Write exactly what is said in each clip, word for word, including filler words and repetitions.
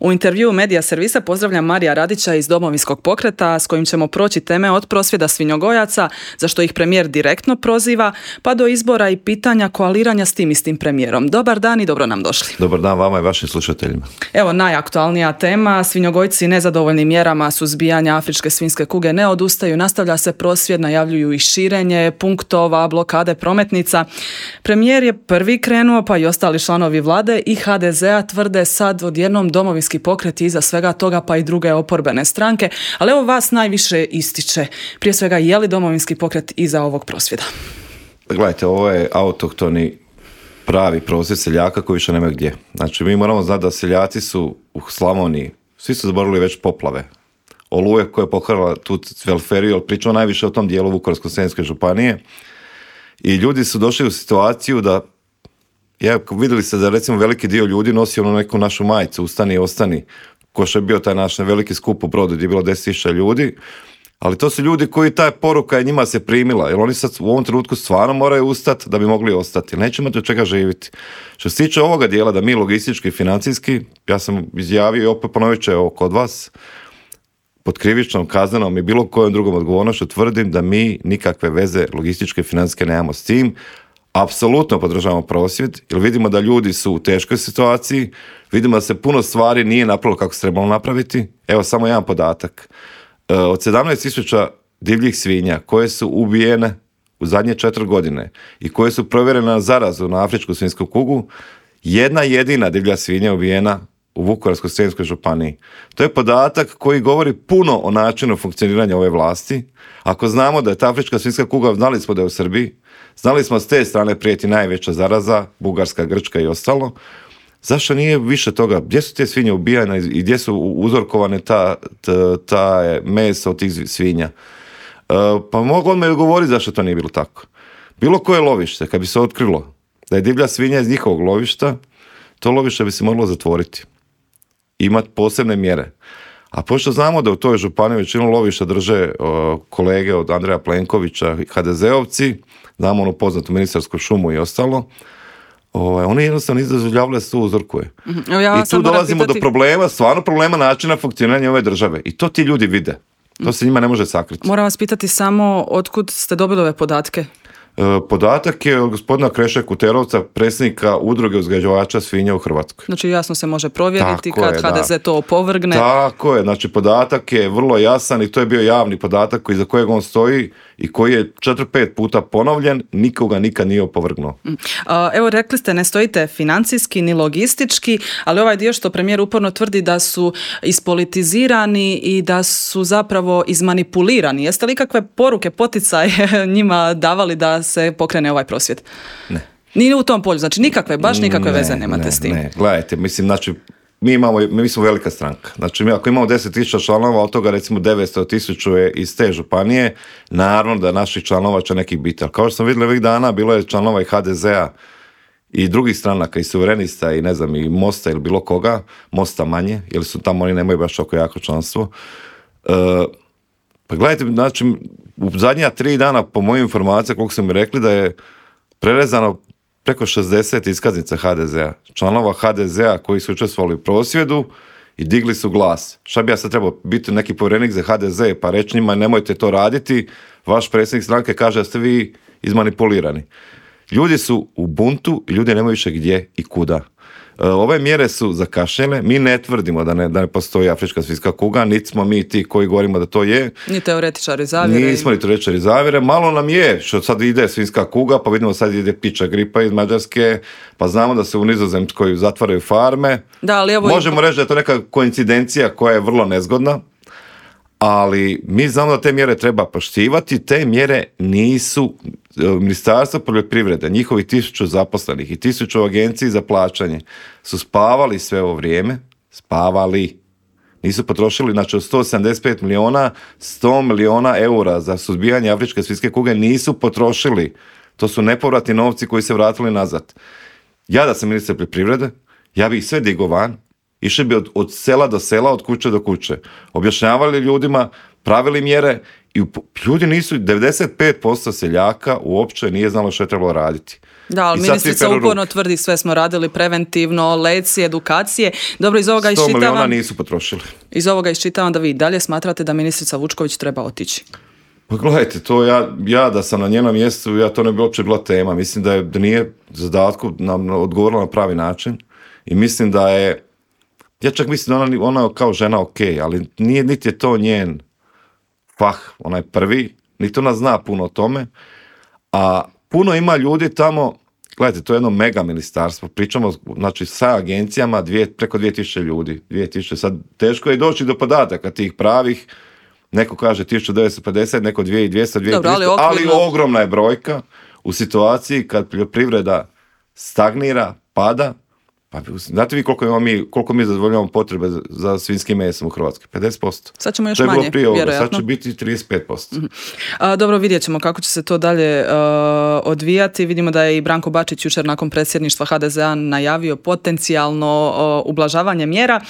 U intervjuu Medija servisa pozdravljam Marija Radića iz Domovinskog pokreta s kojim ćemo proći teme od prosvjeda svinjogojaca, za što ih premijer direktno proziva, pa do izbora i pitanja koaliranja s tim istim premijerom. Dobar dan i dobro nam došli. Dobar dan vama i vašim slušateljima. Evo najaktualnija tema, svinjogojci nezadovoljni mjerama suzbijanja afričke svinjske kuge ne odustaju, nastavlja se prosvjed, najavljuju i širenje punktova, blokade prometnica. Premijer je prvi krenuo, pa i ostali članovi vlade i ha de zea tvrde sad odjednom Domovinski pokret iza svega toga, pa i druge oporbene stranke, ali evo vas najviše ističe. Prije svega, je li Domovinski pokret iza ovog prosvjeda? Gledajte, ovo je autohtoni pravi prosvjed seljaka koji više nema gdje. Znači, mi moramo znati da seljaci su u Slavoniji, svi su zaboravili već poplave. Oluje koja je poharala tu Cvelferiju, ali pričamo najviše o tom dijelu Vukovarsko-srijemske županije. I ljudi su došli u situaciju da Ja, vidjeli ste da recimo veliki dio ljudi nosi ono neku našu majicu, ustani i ostani, ko što je bio taj naš veliki skup u Brodu gdje je bilo deset tisuća ljudi, ali to su ljudi koji ta poruka je njima se primila, jer oni sad u ovom trenutku stvarno moraju ustati da bi mogli ostati, neće imati od čega živjeti. Što se tiče ovoga dijela da mi logistički i financijski, ja sam izjavio i opet ponovit ću ovo kod vas, pod krivičnom, kaznenom i bilo kojom drugom odgovornošću tvrdim da mi nikakve veze logističke i financijske nemamo s tim. Apsolutno podržavamo prosvjed, jer vidimo da ljudi su u teškoj situaciji, vidimo da se puno stvari nije napravilo kako se trebalo napraviti. Evo samo jedan podatak. Od sedamnaest tisuća divljih svinja koje su ubijene u zadnje četiri godine i koje su provjerene na zarazu na afričku svinjsku kugu, jedna jedina divlja svinja ubijena u Vukovarsko-srijemskoj županiji. To je podatak koji govori puno o načinu funkcioniranja ove vlasti. Ako znamo da je ta afrička svinjska kuga, znali smo da je u Srbiji, znali smo s te strane prijeti najveća zaraza, Bugarska, Grčka i ostalo. Zašto nije više toga? Gdje su te svinje ubijane i gdje su uzorkovane ta, ta, ta meso od tih svinja? E, pa mogu odmah govoriti zašto to nije bilo tako. Bilo koje lovište, kad bi se otkrilo da je divlja svinja iz njihovog lovišta, to lovište bi se moglo zatvoriti. Imati posebne mjere. A pošto znamo da u toj županiji većinu lovišta drže o, kolege od Andreja Plenkovića i ha de zeovci, znamo onu poznatu ministarsku šumu i ostalo, o, oni jednostavno nisu dozvoljavali da se to uzorkuje. Mm-hmm. Ja I tu dolazimo pitati... do problema, stvarno problema načina funkcioniranja ove države. I to ti ljudi vide. To se njima ne može sakriti. Moram vas pitati samo otkud ste dobili ove podatke? Podatak je od gospodina Kreše Kuterovca, predsjednika udruge uzgajivača svinja u Hrvatskoj. Znači jasno se može provjeriti Tako kad je, ha de ze da. to opovrgne. Tako je, znači podatak je vrlo jasan i to je bio javni podatak iza kojeg on stoji i koji je četiri pet puta ponovljen, nikoga nikad nije opovrgnuo. Evo rekli ste, ne stojite financijski ni logistički, ali ovaj dio što premijer uporno tvrdi da su ispolitizirani i da su zapravo izmanipulirani. Jeste li kakve poruke, poticaje njima davali da se pokrene ovaj prosvjed? Ne. Nije u tom polju, znači nikakve, baš nikakve ne, veze nemate ne, s tim. Ne, gledajte, mislim, znači, mi imamo, mi smo velika stranka. Znači, mi ako imamo deset tisuća članova, od toga recimo devetsto tisuća je iz te županije, naravno da naših članova će nekih biti. Ali kao što sam vidjeli ovih dana, bilo je članova i ha de zea i drugih stranaka, i suverenista, i ne znam, i Mosta ili bilo koga, Mosta manje, jer su tamo oni nemaju baš oko jako članstvo. E, pa gledajte, znači, u zadnja tri dana, po mojim informacijama, koliko su mi rekli, da je prerezano preko šezdeset iskaznica ha de zea, članova ha de zea koji su učestvovali u prosvjedu i digli su glas. Šta bi ja sad trebao biti neki povjerenik za ha de ze pa reći njima nemojte to raditi, vaš predsjednik stranke kaže da ste vi izmanipulirani. Ljudi su u buntu i ljudi nemaju više gdje i kuda. Ove mjere su zakašnjele, mi ne tvrdimo da ne, da ne postoji afrička svinjska kuga, niti smo mi ti koji govorimo da to je. Ni teoretičari zavjere. Nismo ni teoretičari zavjere, malo nam je što sad ide svinjska kuga, pa vidimo sad ide piča gripa iz Mađarske, pa znamo da se u Nizozemskoj zatvaraju farme. Da, ali evo Možemo i... reći da je to neka koincidencija koja je vrlo nezgodna, ali mi znamo da te mjere treba poštivati, te mjere nisu, Ministarstvo poljoprivrede, njihovi tisuću zaposlenih i tisuću agenciji za plaćanje su spavali sve ovo vrijeme, spavali, nisu potrošili, znači od sto sedamdeset pet milijuna, sto milijuna eura za suzbijanje afričke svinjske kuge nisu potrošili, to su nepovratni novci koji se vratili nazad. Ja da sam ministar poljoprivrede, ja bi ih sve digao van, išli bi od, od sela do sela, od kuće do kuće. Objašnjavali ljudima, pravili mjere i ljudi nisu, devedeset pet posto seljaka uopće nije znalo što je trebalo raditi. Da, ali ministrica uporno tvrdi sve smo radili preventivno, lekcije, edukacije. Dobro, iz ovoga iščitavam... sto milijuna nisu potrošili. Iz ovoga iščitavam da vi dalje smatrate da ministrica Vučković treba otići. Pa gledajte, to ja, ja da sam na njenom mjestu, ja to ne bi uopće bila tema. Mislim da, je, da nije zadatku nam odgovorila na pravi način i mislim da je, ja čak mislim da ona, ona kao žena ok, ali nije, niti je to njen fah, ona je prvi, niti ona zna puno o tome, a puno ima ljudi tamo, gledajte, to je jedno mega ministarstvo, pričamo znači sa agencijama dvije, preko dvije tisuće ljudi, dvije tisuće, sad teško je doći do podataka tih pravih, neko kaže tisuću devetsto pedeset, neko dvije tisuće dvjesto, dvije tisuće tristo, ali, okvirno... ali ogromna je brojka u situaciji kad poljoprivreda stagnira, pada. Pa, znate vi koliko, ima mi, koliko mi zadovoljavamo potrebe za, za svinskim mesom u Hrvatskoj? pedeset posto. Sad ćemo još manje, vjerojatno. Sad će biti trideset pet posto. Mm-hmm. A, dobro, vidjet ćemo kako će se to dalje uh, odvijati. Vidimo da je i Branko Bačić jučer nakon predsjedništva ha de ze a najavio potencijalno uh, ublažavanje mjera.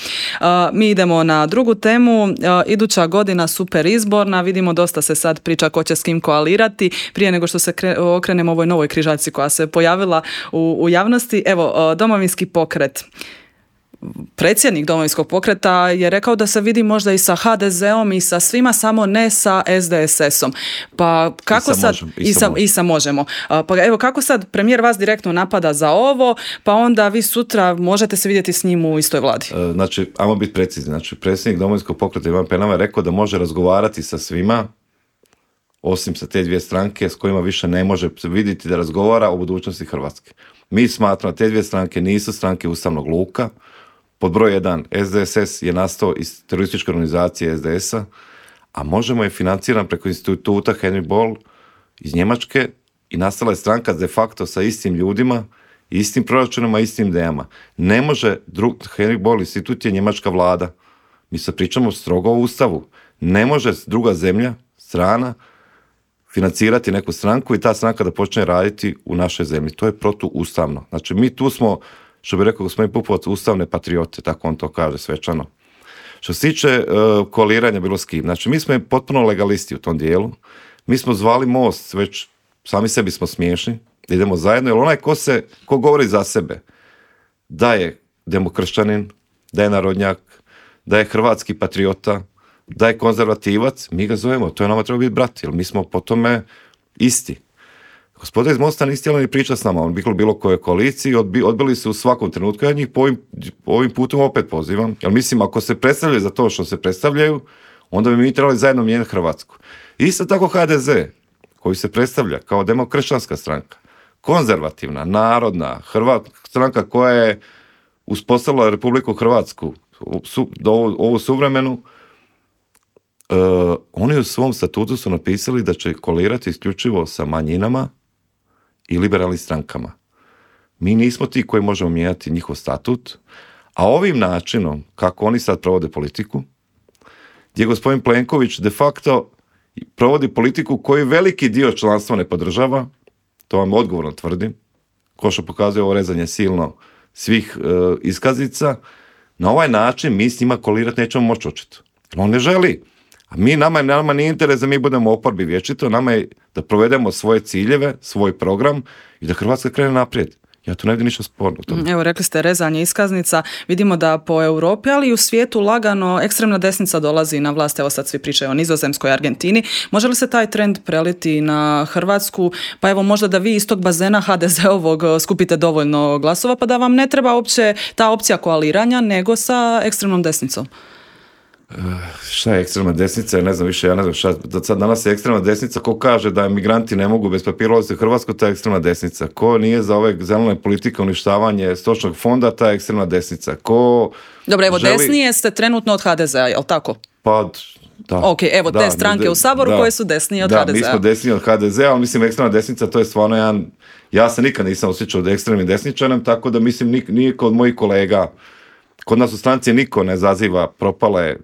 Uh, mi idemo na drugu temu. Uh, iduća godina super izborna. Vidimo dosta se sad priča ko će s kim koalirati. Prije nego što se kre, okrenemo ovoj novoj križaljci koja se pojavila u, u javnosti. Evo, uh, Domovinski pokret. Predsjednik Domovinskog pokreta je rekao da se vidi možda i sa ha de ze om i sa svima, samo ne sa es de es esom. Pa kako I sad možem, i, sa, i sa možemo. Pa evo kako sad premijer vas direktno napada za ovo, pa onda vi sutra možete se vidjeti s njim u istoj vladi. Znači, ajmo biti precizni. Znači, predsjednik Domovinskog pokreta Ivan Penava je rekao da može razgovarati sa svima, osim sa te dvije stranke s kojima više ne može vidjeti da razgovara o budućnosti Hrvatske. Mi smatramo da te dvije stranke nisu stranke ustavnog luka. Pod broj jedan, es de es es je nastao iz terorističke organizacije es de es-a, a možemo je financiran preko instituta Henry Boll iz Njemačke i nastala je stranka de facto sa istim ljudima, istim proračunima, istim idejama. Ne može, drug, Henry Boll institut je njemačka vlada. Mi se pričamo strogo o ustavu. Ne može druga zemlja, strana, financirati neku stranku i ta stranka da počne raditi u našoj zemlji. To je protuustavno. Znači, mi tu smo, što bi rekao gospodin Pupovac, ustavne patriote, tako on to kaže svečano. Što se tiče uh, koaliranja bilo s kim, znači, mi smo potpuno legalisti u tom dijelu. Mi smo zvali Most, već sami sebi smo smiješni, da idemo zajedno, jer onaj ko se, ko govori za sebe, da je demokršćanin, da je narodnjak, da je hrvatski patriota, da je konzervativac, mi ga zovemo, to je nama treba biti brat, jer mi smo po tome isti. Gospoda iz Mosta niste htjeli ni pričati s nama, on bilo bilo koje koaliciji, odbi, odbili su u svakom trenutku, ja njih po ovim, po ovim putom opet pozivam, jer mislim, ako se predstavljaju za to što se predstavljaju, onda bi mi trebali zajedno mijenjati Hrvatsku. Isto tako ha de ze, koji se predstavlja kao demokršćanska stranka, konzervativna, narodna, Hrvat, stranka koja je uspostavila Republiku Hrvatsku, su, do ovu, ovu suvremenu, Uh, oni u svom statutu su napisali da će koalirati isključivo sa manjinama i liberalnim strankama. Mi nismo ti koji možemo mijenjati njihov statut, a ovim načinom, kako oni sad provode politiku, gdje gospodin Plenković de facto provodi politiku koju veliki dio članstva ne podržava, to vam odgovorno tvrdim, ko što pokazuje ovo rezanje silno svih uh, iskaznica, na ovaj način mi s njima koalirati nećemo moći očito. On ne želi. A mi, nama, nama nije interes da mi budemo oporbi vječito, nama je da provedemo svoje ciljeve, svoj program i da Hrvatska krene naprijed. Ja tu ne vidim ništa sporno. Evo, rekli ste rezanje iskaznica. Vidimo da po Europi, ali i u svijetu lagano ekstremna desnica dolazi na vlast. Evo sad svi pričaju o Nizozemskoj, Argentini. Može li se taj trend preliti na Hrvatsku? Pa evo možda da vi iz tog bazena ha de ze-ovog skupite dovoljno glasova, pa da vam ne treba uopće ta opcija koaliranja, nego sa ekstremnom desnicom. Uh, šta je ekstremna desnica, ja ne znam više, ja ne znam šta, da sad danas je ekstremna desnica, ko kaže da migranti ne mogu bez papira ulaziti u Hrvatsku, ta je ekstremna desnica, ko nije za ove zelene politike uništavanje stočnog fonda, ta je ekstremna desnica, ko... Dobro, evo želi... desnije ste trenutno od ha de ze-a, jel tako? Pa, da. Ok, evo da, te stranke da, u Saboru da, koje su desnije od da, ha de ze-a. Da, mi smo desniji od ha de ze-a, ali mislim ekstremna desnica, to je stvarno jedan, ja se nikad nisam osjećao da ekstremnim desničarem, tako da mislim nik, nije kod mojih kolega, kod nas u stranci niko ne zaziva propale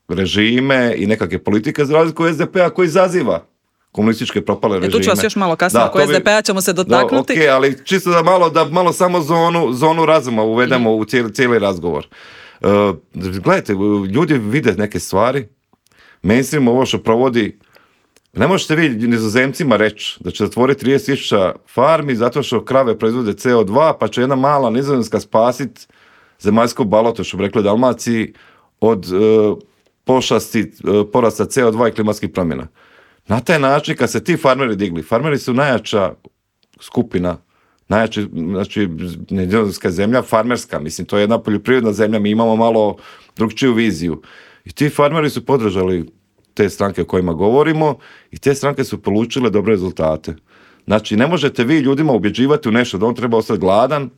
režime i nekakve politike za razliku es de pe-a koji izaziva komunističke propale režime. E, tu ću vas još malo kasnije, oko es de pe-a ćemo se dotaknuti. Da, ok, ali čisto da malo, da malo samo zonu, zonu razuma uvedemo mm. u cijeli, cijeli razgovor. Uh, gledajte, ljudi vide neke stvari, mainstream ovo što provodi Ne možete vi Nizozemcima reći da će zatvoriti trideset tisuća farmi zato što krave proizvode C O dva, pa će jedna mala Nizozemska spasiti zemaljsko baloto, što bi rekli u Dalmaciji, od uh, pošasti, uh, porasta C O dva i klimatskih promjena. Na taj način, kad se ti farmeri digli, farmeri su najjača skupina, najjači, znači, nizozemska zemlja, farmerska, mislim, to je jedna poljoprivredna zemlja, mi imamo malo drugčiju viziju. I ti farmeri su podržali te stranke o kojima govorimo i te stranke su polučile dobre rezultate. Znači, ne možete vi ljudima ubjeđivati u nešto da on treba ostati gladan,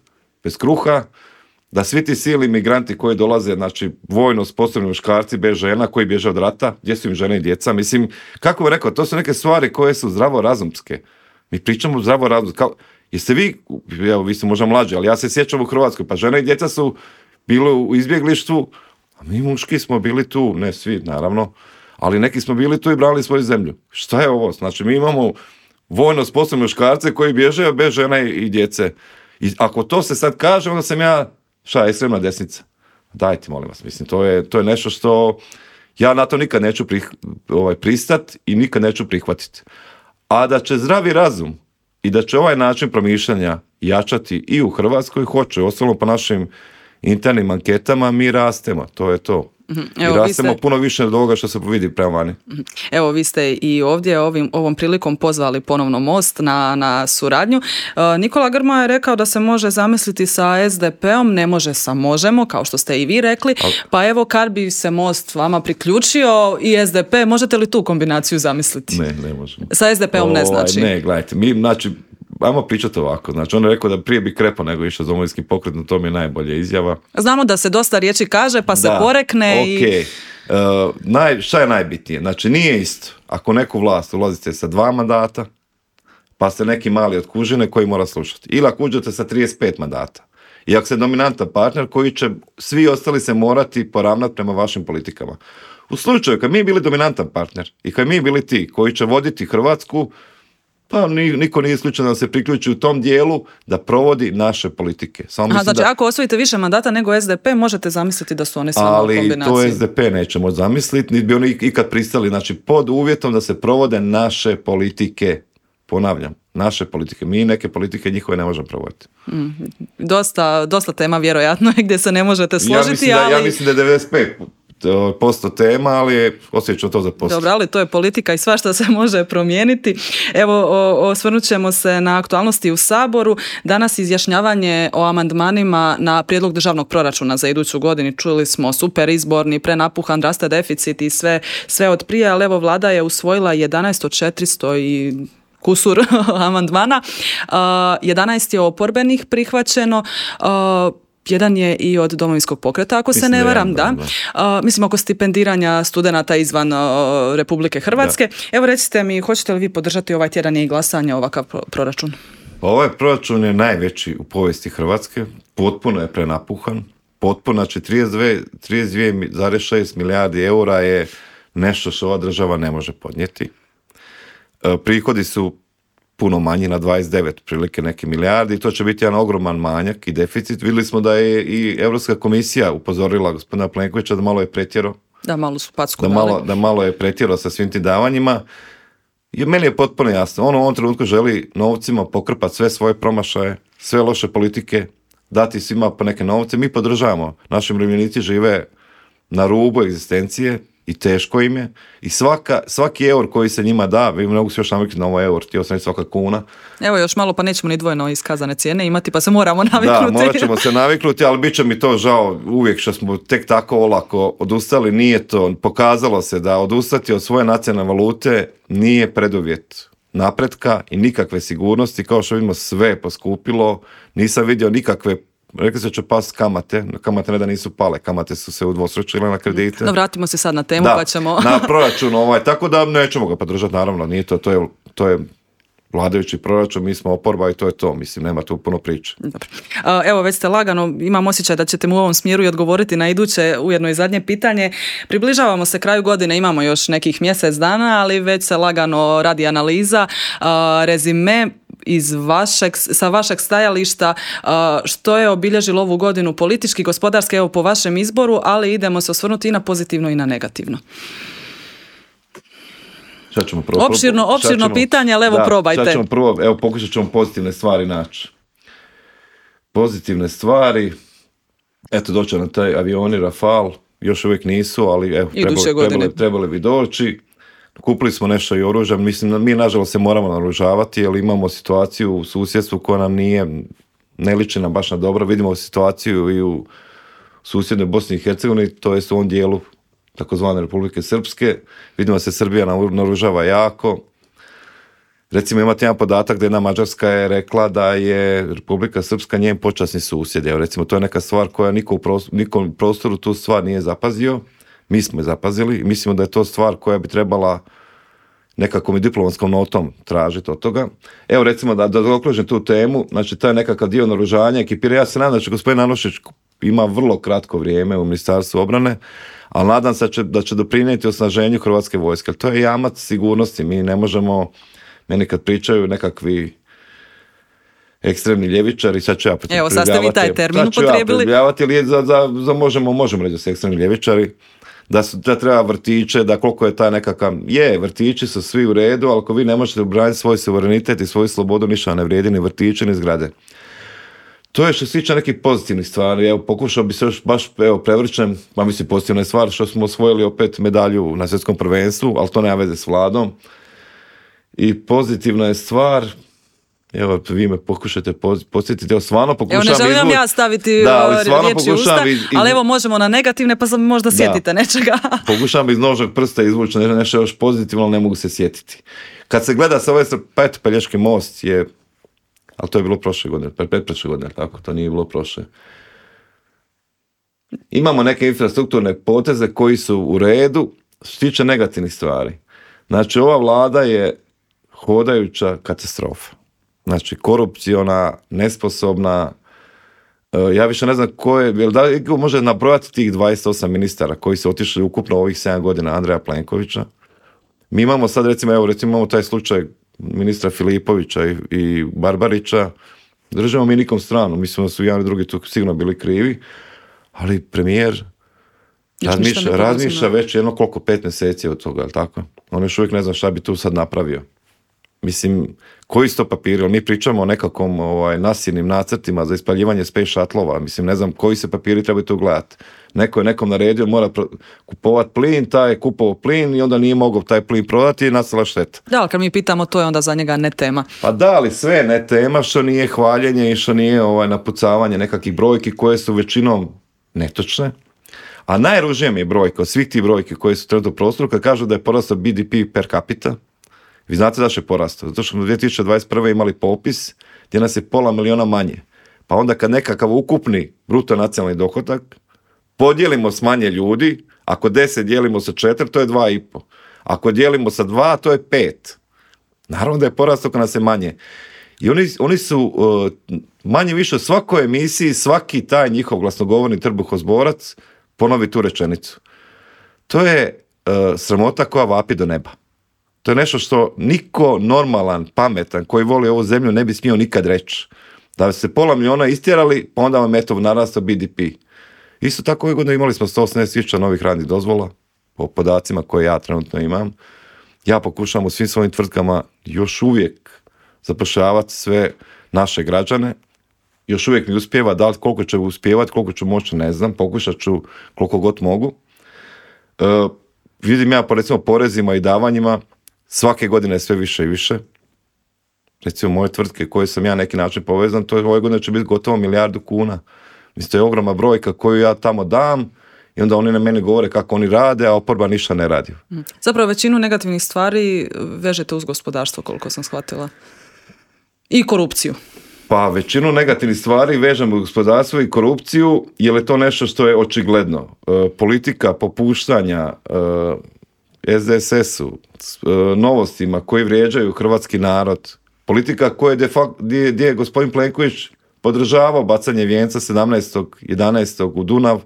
bez kruha, da svi ti silni migranti koji dolaze, znači vojno sposobni muškarci bez žena koji bježe od rata, gdje su im žene i djeca, mislim, kako bih rekao, to su neke stvari koje su zdravorazumske. Mi pričamo zdravorazumske. Kao, jeste vi, evo vi ste možda mlađi, ali ja se sjećam u Hrvatskoj, pa žene i djeca su bili u izbjeglištvu, a mi muški smo bili tu, ne svi naravno, ali neki smo bili tu i brali svoju zemlju. Šta je ovo? Znači mi imamo vojno sposobne muškarce koji bježe bez žena i djece. I ako to se sad kaže, onda sam ja šta, ekstremna desnica. Dajte, molim vas, mislim, to je, to je nešto što ja na to nikad neću prih, ovaj, pristat i nikad neću prihvatiti. A da će zdravi razum i da će ovaj način promišljanja jačati i u Hrvatskoj, hoće, ostalom po našim internim anketama, mi rastemo, to je to. Evo, i rastemo ste... puno više od ovoga što se vidi prema vani. Evo, vi ste i ovdje ovim, ovom prilikom pozvali ponovno Most na, na suradnju. E, Nikola Grmoja je rekao da se može zamisliti sa S D P-om, ne može sa Možemo, kao što ste i vi rekli. Al... Pa evo, kad bi se Most vama priključio i S D P, možete li tu kombinaciju zamisliti? Ne, ne možemo. Sa S D P-om o, ne znači? Ne, gledajte, mi, znači, ajmo pričati ovako. Znači, on je rekao da prije bi krepao nego išao Domovinski pokret, no to mi je najbolja izjava. Znamo da se dosta riječi kaže, pa se da, porekne okay. i... Uh, naj, šta je najbitnije? Znači, nije isto. Ako neku vlast ulazite sa dva mandata, pa ste neki mali od kužine koji mora slušati. Ili ako uđete sa trideset pet mandata. I ako ste dominantan partner koji će svi ostali se morati poravnati prema vašim politikama. U slučaju kad mi bili dominantan partner i kad mi bili ti koji će voditi Hrvatsku, pa niko nije isključen da se priključi u tom dijelu da provodi naše politike. Samo Aha, znači da... ako osvojite više mandata nego S D P, možete zamisliti da su oni s vama u kombinaciji. Ali to S D P nećemo zamisliti, niti bi oni ikad pristali, znači pod uvjetom da se provode naše politike. Ponavljam, naše politike. Mi neke politike njihove ne možemo provoditi. Mm, dosta, dosta tema vjerojatno gdje se ne možete složiti. Ja mislim da, ali... ja mislim da je devedeset pet posto tema, ali osjećam to za posto. Dobro, ali to je politika i svašta se može promijeniti. Evo, osvrnut ćemo se na aktualnosti u Saboru. Danas izjašnjavanje o amandmanima na prijedlog državnog proračuna za iduću godinu. Čuli smo super izborni, prenapuhan, raste deficit i sve, sve od prije, ali evo vlada je usvojila jedanaest od četiristo i kusur amandmana. Uh, jedanaest je oporbenih prihvaćeno. Uh, Jedan je i od Domovinskog pokreta, ako mislim se ne varam, da. da. da. Uh, mislim, oko stipendiranja studenata izvan uh, Republike Hrvatske. Da. Evo, recite mi, hoćete li vi podržati ovaj tjedan i glasanje ovakav pro- proračun? Ovaj proračun je najveći u povijesti Hrvatske, potpuno je prenapuhan, potpuno, znači trideset dvije zarez šest milijardi eura je nešto što ova država ne može podnijeti. Uh, prihodi su puno manji, na dvadeset devet prilike neke milijardi, to će biti jedan ogroman manjak i deficit. Vidjeli smo da je i Europska komisija upozorila gospodina Plenkovića da malo je pretjerao. Da, malo su packu da malo, da malo je pretjerao sa svim tim davanjima. I meni je potpuno jasno, on u ovom trenutku želi novcima pokrpati sve svoje promašaje, sve loše politike, dati svima po neke novce. Mi podržavamo, naši umirovljenici žive na rubu egzistencije i teško im je. I svaka, svaki eur koji se njima da, vi mogu se još naviknuti na ovaj eur, htio sam svaka kuna. Evo još malo pa nećemo ni dvojno iskazane cijene imati, pa se moramo naviknuti. Da, morat ćemo se naviknuti, ali bit će mi to žao uvijek što smo tek tako olako odustali. Nije to, pokazalo se da odustati od svoje nacionalne valute nije preduvjet napretka i nikakve sigurnosti. Kao što vidimo, sve je poskupilo, nisam vidio nikakve. Rekli se će past kamate, kamate ne da nisu pale, kamate su se udvostručile na kredite. No, vratimo se sad na temu, da, pa ćemo... na proračun ovaj, tako da nećemo ga podržati, naravno, nije to, to je, to je vladajući proračun, mi smo oporba i to je to, mislim, nema tu puno priče. Dobro. Evo, već ste lagano, imam osjećaj da ćete mu u ovom smjeru i odgovoriti na iduće, ujedno i zadnje pitanje. Približavamo se kraju godine, imamo još nekih mjesec dana, ali već se lagano radi analiza, rezime iz vašeg, sa vašeg stajališta, što je obilježilo ovu godinu politički, gospodarski, evo po vašem izboru, ali idemo se osvrnuti i na pozitivno i na negativno. Sad ćemo prvo, opširno, opširno ćemo, pitanje, ali evo da, probajte. Sad ćemo prvo, evo pokušat ćemo pozitivne stvari naći. Pozitivne stvari, eto doći na taj avioni Rafale, još uvijek nisu, ali evo, trebali, trebali, trebali bi doći. Kupili smo nešto i oružja, mislim, mi nažalost se moramo naoružavati, jer imamo situaciju u susjedstvu koja nam nije, ne liči nam baš na dobro. Vidimo situaciju i u susjednoj Bosni i Hercegovini, to jest u ovom dijelu takozvane Republike Srpske. Vidimo se Srbija naoružava jako. Recimo imate jedan podatak da jedna Mađarska je rekla da je Republika Srpska njen počasni susjed. Evo, recimo to je neka stvar koja niko u prostoru, niko u prostoru tu stvar nije zapazio. Mi smo je zapazili i mislimo da je to stvar koja bi trebala nekakvom diplomatskom notom tražiti od toga. Evo recimo da, da zaokružim tu temu, znači taj nekakav dio naoružanja, ekipira, ja se nadam da će gospodin Anušić ima vrlo kratko vrijeme u Ministarstvu obrane, ali nadam se da će, da će doprinijeti osnaženju Hrvatske vojske. To je jamac sigurnosti, mi ne možemo, meni kad pričaju nekakvi ekstremni ljevičari, sad ću ja Evo, sad ste vi taj termin upotrijebili. Ja za, za, za možemo, možemo reći da su ekstremni ljevičari, da, su, da treba vrtiće, da koliko je ta nekakav, je, vrtići su svi u redu, ali ako vi ne možete obraniti svoj suverenitet i svoju slobodu, ništa ne vrijedi, ni vrtiće, ni zgrade. To je što se tiče nekih pozitivnih stvari. Evo, pokušao bi se još baš, evo, prevrćem, pa mislim pozitivna je stvar što smo osvojili opet medalju na svjetskom prvenstvu, ali to nema veze s Vladom. I pozitivna je stvar, evo, vi me pokušate podsjetiti, evo, stvarno pokušavam izvući. Evo, ne želim ja staviti da, riječi usta, iz, iz... ali evo, možemo na negativne, pa sam možda da. Sjetite nečega. Pokušavam iz nožnog prsta izvući nešto još pozitivno, ali ne mogu se sjetiti. Kad se gleda sa ove pet, Pelješki most je, ali to je bilo prošle godine, pet prošle godine, tako, to nije bilo prošle. Imamo neke infrastrukturne poteze koji su u redu, što se tiče negativnih stvari. Znači, ova vlada je hodajuća katastrofa. Znači, korupciona, nesposobna, ja više ne znam ko je, jel da može nabrojati tih dvadeset osam ministara koji su otišli ukupno ovih sedam godina Andreja Plenkovića. Mi imamo sad, recimo, evo, recimo imamo taj slučaj ministra Filipovića i, i Barbarića, držimo mi nikom stranu, mislimo da su jedan i drugi tu sigurno bili krivi, ali premijer razmišlja, razmišlja već jedno koliko, pet mjeseci od toga, je li tako? On još uvijek ne zna šta bi tu sad napravio. Mislim, koji su to papiri? Mi pričamo o nekakvom ovaj, nasilnim nacrtima za ispaljivanje space shuttlova. Mislim, ne znam koji se papiri trebaju tu gledati. Neko je nekom naredio, mora pro- kupovati plin, taj je kupovao plin i onda nije mogao taj plin prodati i nastala šteta. Da, ali kad mi pitamo, to je onda za njega ne tema. Pa da, ali sve ne tema, što nije hvaljenje i što nije ovaj, napucavanje nekakvih brojki koje su većinom netočne. A najružnija mi je brojka od svih tih brojki koje su trenutno u prostoru kad kažu da je porastao B D P per capita. Vi znate zašto je porastao? Zato što smo u dvije tisuće dvadeset prve imali popis gdje nas je pola miliona manje. Pa onda kad nekakav ukupni bruto nacionalni dohodak podijelimo s manje ljudi, ako deset dijelimo sa četiri, to je dva i pol. Ako dijelimo sa dva, to je pet. Naravno da je porastao kad nas je manje. I oni, oni su uh, manje više u svakoj emisiji, svaki taj njihov glasnogovorni trbuhozborac ponovi tu rečenicu. To je uh, sramota koja vapi do neba. To je nešto što niko normalan, pametan, koji voli ovu zemlju ne bi smio nikad reći. Da se pola miliona istjerali, pa onda vam eto narastao B D P. Isto tako ove godine imali smo sto osamnaest tisuća novih radnih dozvola, po podacima koje ja trenutno imam. Ja pokušavam u svim svojim tvrtkama još uvijek zapošljavati sve naše građane. Još uvijek mi uspijeva, da li koliko će uspijevati, koliko ću moći, ne znam, pokušat ću koliko god mogu. E, vidim ja po recimo porezima i davanjima, svake godine sve više i više. Recimo moje tvrtke koje sam ja neki način povezan, to je ove godine će biti gotovo milijardu kuna. Mislim, to je ogromna brojka koju ja tamo dam i onda oni na mene govore kako oni rade, a oporba ništa ne radi. Zapravo većinu negativnih stvari vežete uz gospodarstvo, koliko sam shvatila. I korupciju. Pa većinu negativnih stvari vežemo uz gospodarstvo i korupciju, jer je to nešto što je očigledno. E, politika popuštanja e, S D S S-u, e, novostima koji vrijeđaju hrvatski narod, politika koje de facto, gdje, gdje je gospodin Plenković podržavao bacanje vijenca sedamnaestog jedanaestog u Dunav,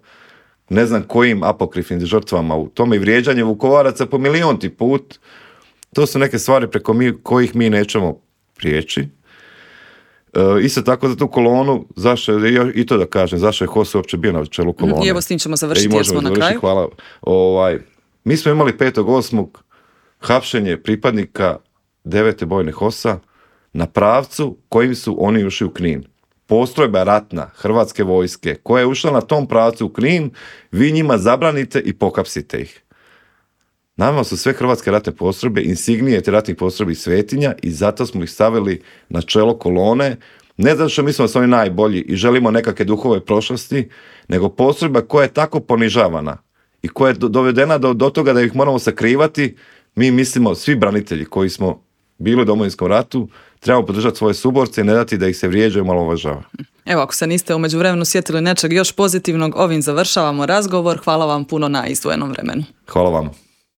ne znam kojim apokrifnim žrtvama u tome, i vrijeđanje Vukovaraca po milionti put. To su neke stvari preko mi, kojih mi nećemo prijeći. E, isto tako za tu kolonu, zašto, i to da kažem, zašto je Hos uopće bio na čelu kolone. I evo s tim ćemo završiti, jer smo na kraju. Hvala. Ovaj, mi smo imali petog osmog hapšenje pripadnika devete bojne hosa na pravcu kojim su oni ušli u Knin. Postrojba ratna Hrvatske vojske koja je ušla na tom pravcu u Knin, vi njima zabranite i pokapsite ih. Nama su sve hrvatske ratne postrojbe insignije te ratnih postrojbi svetinja i zato smo ih stavili na čelo kolone, ne zato što mislimo da su oni najbolji i želimo nekakve duhove prošlosti, nego postrojba koja je tako ponižavana i koja je dovedena do, do toga da ih moramo sakrivati. Mi mislimo, svi branitelji koji smo bili u Domovinskom ratu, trebamo podržati svoje suborce i ne dati da ih se vrijeđa i malo uvažava. Evo, ako se niste u međuvremenu sjetili nečeg još pozitivnog, ovim završavamo razgovor. Hvala vam puno na izdvojenom vremenu. Hvala vam.